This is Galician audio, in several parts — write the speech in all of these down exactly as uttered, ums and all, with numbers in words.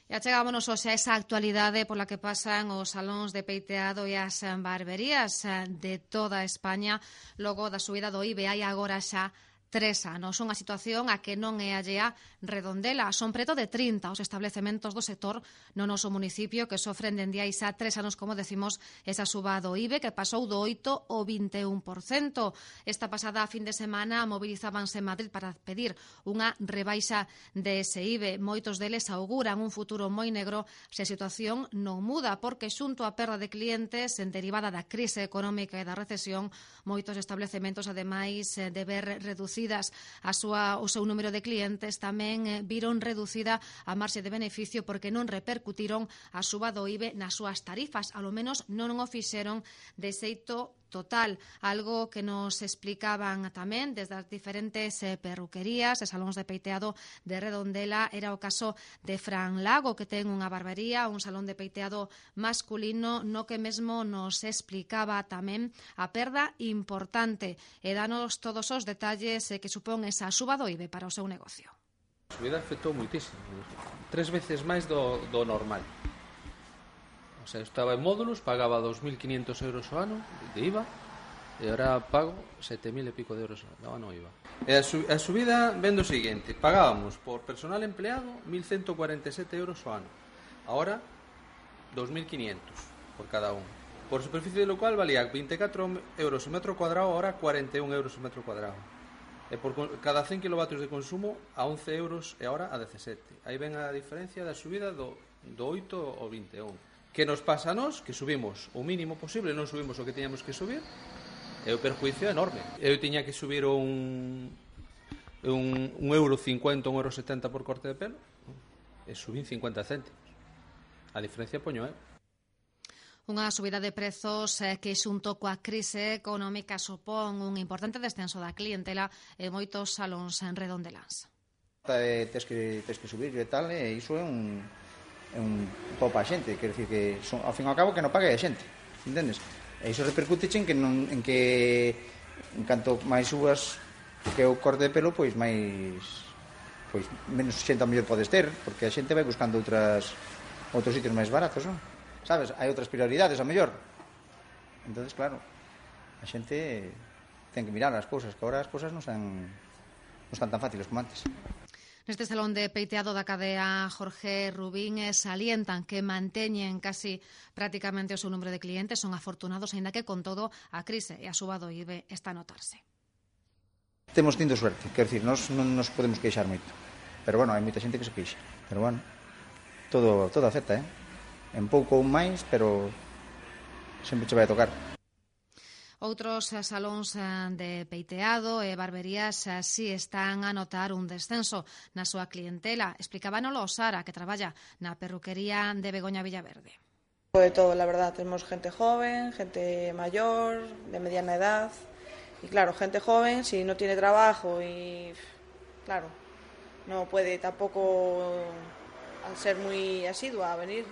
E achegámonos hoxe a esa actualidade pola que pasan os salóns de peiteado e as barberías de toda España logo da subida do I V E hai agora xa tres anos. Unha situación a que non é allea Redondela. Son preto de trinta os establecementos do sector no noso municipio que sofren dende hai xa tres anos, como decimos, esa suba do I V E que pasou do oito ao vinte e un por cento. Esta pasada fin de semana movilizábanse en Madrid para pedir unha rebaixa dese I V E. Moitos deles auguran un futuro moi negro se a situación non muda, porque xunto á perda de clientes en derivada da crise económica e da recesión, moitos establecementos, ademais de ver reducidas a súa, o seu número de clientes, tamén viron reducida a marxe de beneficio porque non repercutiron a suba do I V E nas súas tarifas, ao menos non o fixeron de xeito total, algo que nos explicaban tamén desde as diferentes eh, perruquerías e salóns de peiteado de Redondela. Era o caso de Fran Lago, que ten unha barbería, un salón de peiteado masculino, no que mesmo nos explicaba tamén a perda importante e danos todos os detalles eh, que supón esa suba do I V E para o seu negocio. A subida afectou moitísimo, tres veces máis do, do normal. O sea, estaba en módulos, pagaba dos mil quinientos euros ao ano de I V A e agora pago sete mil e pico de euros ao ano I V A. E a, su, a subida vendo o seguinte: pagábamos por personal empleado mil ciento cuarenta e sete euros ao ano, agora dos mil quinientos por cada un. Por superficie local valía vinte e catro euros o metro cuadrado, agora cuarenta e un euros o metro cuadrado. E por cada cen kilovatios de consumo a once euros e agora a dezasete. Aí ven a diferencia da subida do, do oito ao vinte e un. Que nos pasa a nós, que subimos o mínimo posible, non subimos o que tiñamos que subir, e o perjuicio é enorme. Eu tiña que subir un, un, un euro cincuenta, un euro setenta por corte de pelo, e subín cincuenta céntimos. A diferencia poño, eh? Unha subida de prezos eh, que xunto coa crise económica supón un importante descenso da clientela en moitos salóns en redondeláns. Eh, tes que, tes que subir e tal, e iso é un... é un topa a xente, quer dicir que son, ao fin e ao cabo que non pague a xente, entendes? E iso repercute en que non, en que en canto máis subas que o corte de pelo, pois máis pois menos xente ao mellor podes ter, porque a xente vai buscando outras outros sitios máis baratos, non? Sabes? Hai outras prioridades ao mellor. Entonces, claro, a xente ten que mirar as cousas, que agora as cousas non son non están tan fáciles como antes. Neste salón de peiteado da cadea Jorge Rubín salientan que manteñen casi prácticamente o seu número de clientes, son afortunados, aínda que con todo a crise e a suba do I V E está a notarse. Temos tindo suerte, quer dicir, nós non nos podemos queixar moito, pero bueno, hai moita xente que se queixa, pero bueno, todo, todo acepta, eh? En pouco ou máis, pero sempre che vai a tocar. Outros salóns de peiteado e barberías si están a notar un descenso na súa clientela. Explicábanolo Sara, que traballa na perruquería de Begoña Villaverde. De todo, la verdad. Tenemos gente joven, gente mayor, de mediana edad. Y claro, gente joven, si no tiene trabajo y, claro, no puede tampoco, al ser muy asidua, a venir.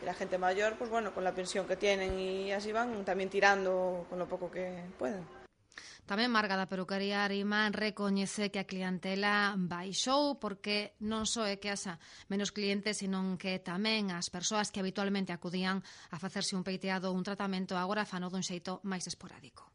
Y la gente mayor, pues bueno, con la pensión que tienen y así van tamén tirando con lo pouco que pueden. Tamén Marga da peruquería Arima recoñece que a clientela baixou porque non só é que haxa menos clientes, sino que tamén as persoas que habitualmente acudían a facerse un peiteado ou un tratamento agora fano dun xeito máis esporádico.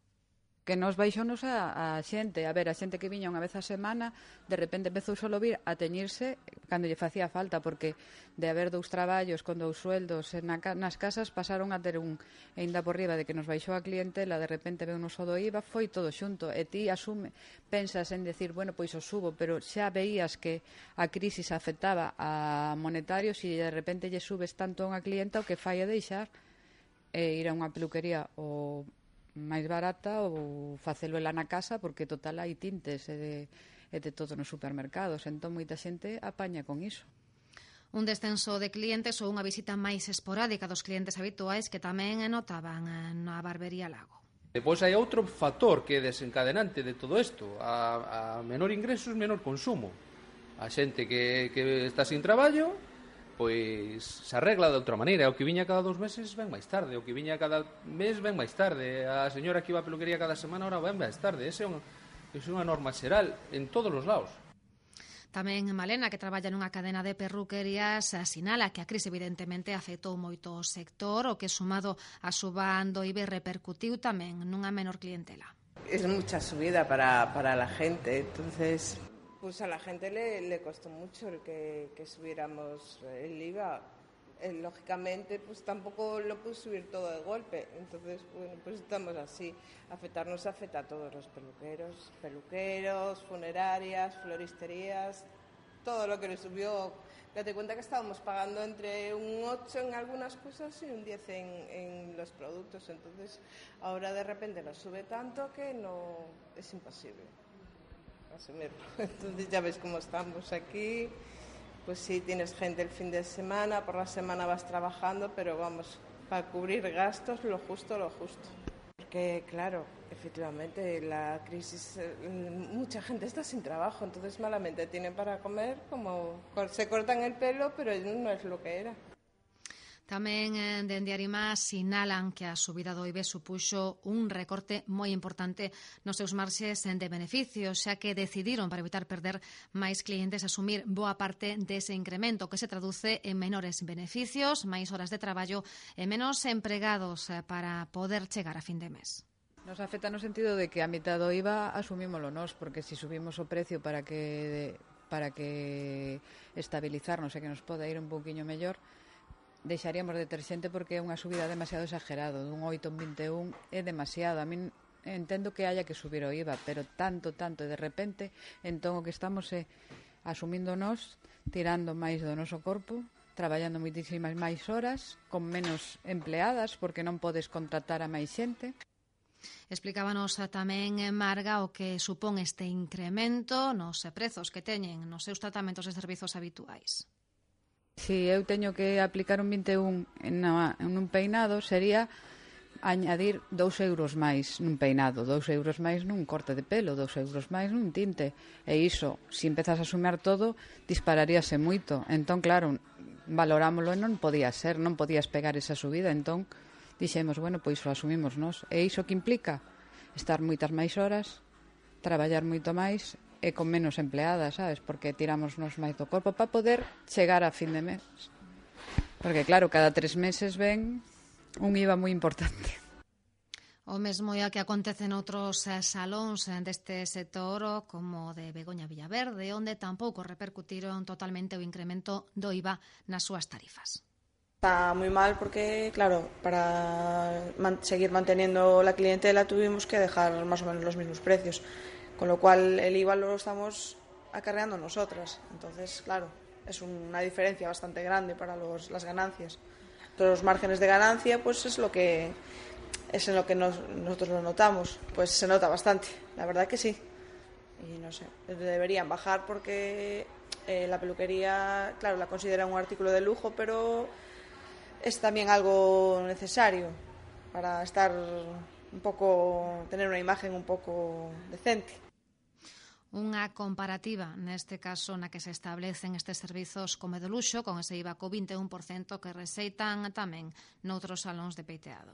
Que nos baixonos a, a xente, a ver, a xente que viña unha vez a semana, de repente empezou solo vir a teñirse cando lle facía falta, porque de haber dous traballos con dous sueldos na, nas casas pasaron a ter un, e ainda por riba de que nos baixou a clientela, de repente veu no só do I V A, foi todo xunto, e ti asume, pensas en decir, bueno, pois o subo, pero xa veías que a crisis afectaba a monetarios e de repente lle subes tanto a unha clienta o que fai é deixar e ir a unha peluquería ou máis barata ou facelo ela na casa, porque total hai tintes e de, e de todo nos supermercados, entón moita xente apaña con iso. Un descenso de clientes ou unha visita máis esporádica dos clientes habituais que tamén notaban na barbería Lago. Depois hai outro factor que é desencadenante de todo isto, a, a menor ingresos, menor consumo. A xente que, que está sin traballo, pois se arregla de outra maneira. O que viña cada dos meses ven máis tarde, o que viña cada mes ven máis tarde, a señora que iba a peluquería cada semana ahora ven máis tarde. Ese é unha, ese é unha norma xeral en todos os lados. Tamén Malena, que traballa nunha cadena de perruquerías, sinala que a crise evidentemente afectou moito o sector, o que sumado a suba do I B repercutiu tamén nunha menor clientela. Es mucha subida para, para la gente, entonces pues a la gente le, le costó mucho el que, que subiéramos el I V A. Eh, lógicamente pues tampoco lo pude subir todo de golpe, entonces bueno, pues estamos así. Afectarnos afecta a todos los peluqueros, peluqueros, funerarias, floristerías, todo lo que le subió. Date cuenta que estábamos pagando entre un ocho en algunas cosas y un diez en, en los productos, entonces ahora de repente nos sube tanto que no es imposible asumirlo. Entonces ya ves cómo estamos aquí. Pues sí, tienes gente el fin de semana, por la semana vas trabajando, pero vamos, para cubrir gastos, lo justo, lo justo. Porque, claro, efectivamente, la crisis, mucha gente está sin trabajo, entonces malamente tienen para comer, como se cortan el pelo, pero no es lo que era. Tamén eh, dende Arimá sinalan que a subida do I B supuxo un recorte moi importante nos seus marxes de beneficios, xa que decidiron, para evitar perder máis clientes, asumir boa parte dese incremento, que se traduce en menores beneficios, máis horas de traballo e menos empregados eh, para poder chegar a fin de mes. Nos afecta no sentido de que a mitad do I V A asumímolo nós, porque se si subimos o precio para que para que estabilizarnos e que nos poda ir un pouquiño mellor, deixaríamos de ter xente porque é unha subida demasiado exagerado, dun oito en vinte e un é demasiado. A min entendo que haya que subir o I V A, pero tanto, tanto, e de repente, entón o que estamos é asumindo nós, tirando máis do noso corpo, traballando moitísimas máis horas, con menos empleadas, porque non podes contratar a máis xente. Explicábanos tamén Marga o que supón este incremento nos prezos que teñen nos seus tratamentos de servizos habituais. Si eu teño que aplicar un vinte e un en, en un peinado, sería añadir dous euros máis nun peinado, dous euros máis nun corte de pelo, dous euros máis nun tinte. E iso, se empezas a sumar todo, dispararíase moito. Entón, claro, valorámoslo e non podía ser, non podías pegar esa subida. Entón, dixemos, bueno, pois o asumimos nós. E iso que implica? Estar moitas máis horas, traballar moito máis e con menos empleadas, sabes? Porque tiramos nos máis do corpo para poder chegar a fin de mes. Porque, claro, cada tres meses ven un I V A moi importante. O mesmo é o que acontece noutros salóns deste sector, como de Begoña Villaverde, onde tampouco repercutiron totalmente o incremento do I V A nas súas tarifas. Está muy mal porque, claro, para man- seguir manteniendo la clientela tuvimos que dejar más o menos los mismos precios. Con lo cual el I V A lo estamos acarreando nosotras. Entonces, claro, es una diferencia bastante grande para los, las ganancias. Todos los márgenes de ganancia, pues es lo que es en lo que nos, nosotros lo notamos. Pues se nota bastante, la verdad que sí. Y no sé, deberían bajar porque eh, la peluquería, claro, la consideran un artículo de lujo, pero es también algo necesario para estar un poco, tener una imagen un poco decente. Unha comparativa, neste caso, na que se establecen estes servizos como de luxo, con ese I V A co vinte e un por cento que receitan tamén noutros salóns de peiteado.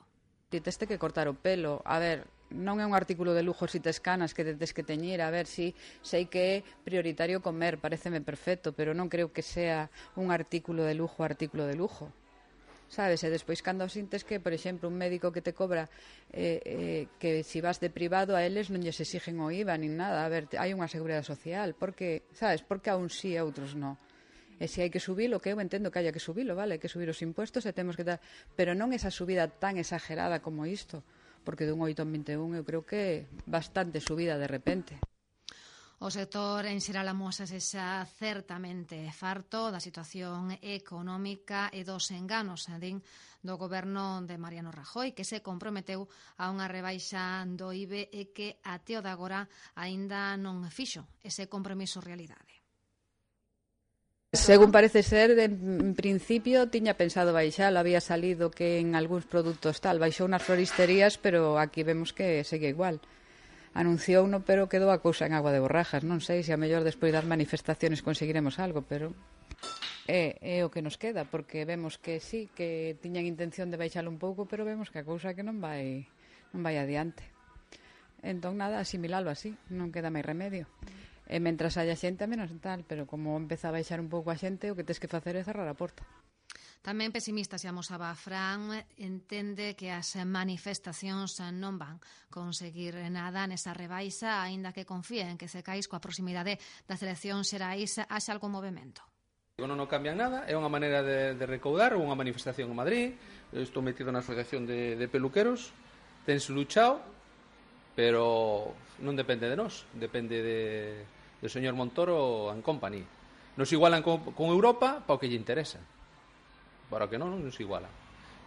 Ti tes que cortar o pelo. A ver, non é un artículo de lujo si tes canas que te tes que teñir. A ver, si sei que é prioritario comer, pareceme perfecto, pero non creo que sea un artículo de lujo, artículo de lujo. Sabes, e despois cando sintes que, por exemplo, un médico que te cobra eh, eh, que se si vas de privado a eles non lles exigen o I V A nin nada. A ver, hai unha seguridade social, porque, sabes, porque a un sí e a outros non. E se hai que subilo, que eu entendo que haya que subilo, vale, hai que subir os impuestos e temos que dar, pero non esa subida tan exagerada como isto, porque dun oito en vinte e un eu creo que bastante subida de repente. O sector en xeral amosase xa certamente farto da situación económica e dos enganos, din, do goberno de Mariano Rajoy, que se comprometeu a unha rebaixa do I V A e que até o de agora aínda non fixo ese compromiso realidade. Según parece ser, en principio tiña pensado baixalo, había salido que en algúns produtos tal, baixou nas floristerías, pero aquí vemos que segue igual. Anunciou uno, pero quedou a cousa en agua de borrajas. Non sei se a mellor despois das manifestaciones conseguiremos algo, pero é, é o que nos queda, porque vemos que sí, que tiñan intención de baixalo un pouco, pero vemos que a cousa que non vai non vai adiante. Entón, nada, asimilalo así, non queda máis remedio. E mentras haya xente, a menos tal, pero como empeza a baixar un pouco a xente, o que tes que facer é cerrar a porta. Tamén pesimista se amosaba Fran, entende que as manifestacións non van conseguir nada nesa rebaixa, aínda que confía en que Cecais coa proximidade das eleccións xerais haxa algún movimento. Non, non cambian nada, é unha maneira de, de recaudar, unha manifestación en Madrid, estou metido na asociación de, de peluqueros, tense luchado, pero non depende de nós, depende de, do señor Montoro and company. Nos igualan con, con Europa para o que lle interesa. Para que non, non nos iguala.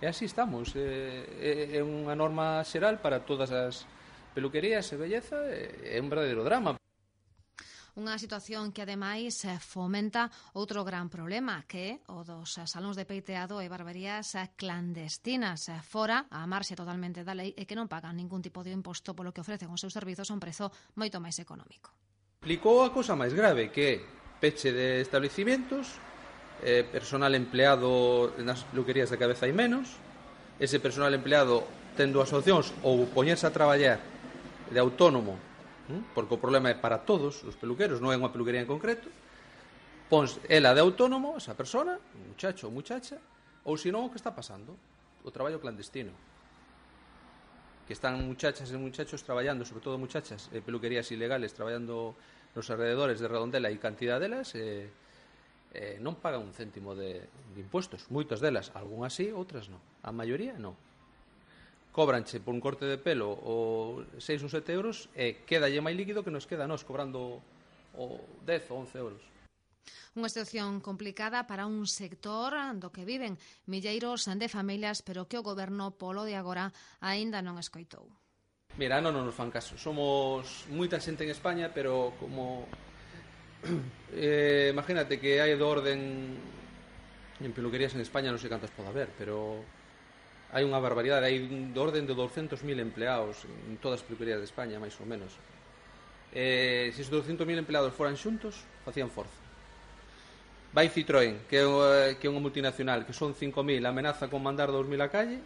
E así estamos. É, é unha norma xeral para todas as peluquerías e belleza. É un verdadeiro drama. Unha situación que, ademais, fomenta outro gran problema, que é o dos salóns de peiteado e barberías clandestinas, fora a marxe totalmente da lei e que non pagan ningún tipo de imposto polo que ofrecen os seus servizos a un prezo moito máis económico. Explicou a cousa máis grave, que é peche de establecimientos, eh, personal empleado nas peluquerías de cabeza hai menos, ese personal empleado tendo as opcións ou poñerse a traballar de autónomo, ¿eh? Porque o problema é para todos os peluqueros, non é unha peluquería en concreto, pons ela de autónomo, esa persona, muchacho ou muchacha, ou senón o que está pasando, o traballo clandestino, que están muchachas e muchachos traballando, sobre todo muchachas, eh, peluquerías ilegales, traballando nos alrededores de Redondela e cantidad delas, eh, eh, non pagan un céntimo de, de impuestos, moitas delas, algunhas sí, outras non, a maioría non. Cobranche por un corte de pelo o seis ou sete euros e quedalle máis líquido que nos queda a nós cobrando o dez ou once euros. Unha situación complicada para un sector do que viven milleiros de familias, pero que o goberno polo de agora aínda non escoitou. Mira, non nos fan caso. Somos moita xente en España, pero como Eh, imagínate que hai do orden en peluquerías en España, non sei cantas pode haber, pero hai unha barbaridade, hai do orden de doscientos mil empleados en todas as peluquerías de España, máis ou menos. Eh, se os doscientos mil empleados foran xuntos, facían forza. Vai Citroën, que é, que é unha multinacional, que son cinco mil, amenaza con mandar dous mil a calle,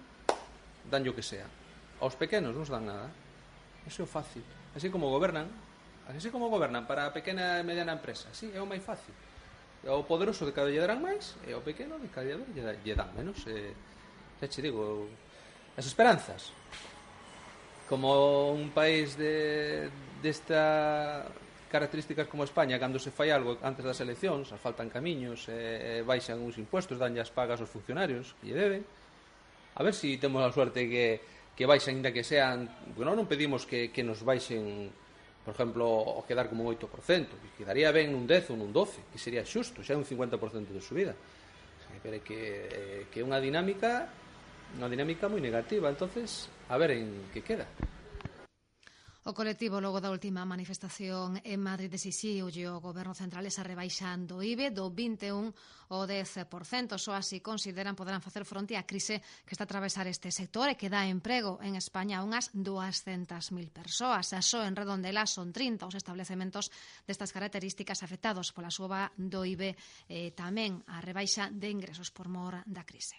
danlle o que sea. Aos pequenos non se dan nada. Eso é fácil. Así como gobernan, así como gobernan para a pequena e mediana empresa, sí, é o máis fácil. O poderoso de cada lle darán máis e o pequeno de cada lle, lle dan menos. E, xa che digo, as esperanzas. Como un país de desta características como España, cando se fai algo antes das eleccións, asfaltan camiños, e, e baixan uns impuestos, danlle as pagas aos funcionarios que lle deben. A ver se si temos a suerte que, que baixen, ainda que sean... Bueno, non pedimos que, que nos baixen, por exemplo, o quedar como un oito por cento, que quedaría ben nun dez ou nun doce, que sería xusto, xa é un cincuenta por cento de subida. Pero é que, que é unha dinámica unha dinámica moi negativa, entonces a ver en que queda. O colectivo, logo da última manifestación en Madrid, exixiulle ao Goberno Central esa rebaixa do I V E do vinte e un ao dez por cento. Só así consideran poderán facer fronte á crise que está a atravesar este sector e que dá emprego en España a unhas duascentas mil persoas. Só en Redondela son trinta os establecementos destas características afectados pola suba do I V E e tamén a rebaixa de ingresos por mor da crise.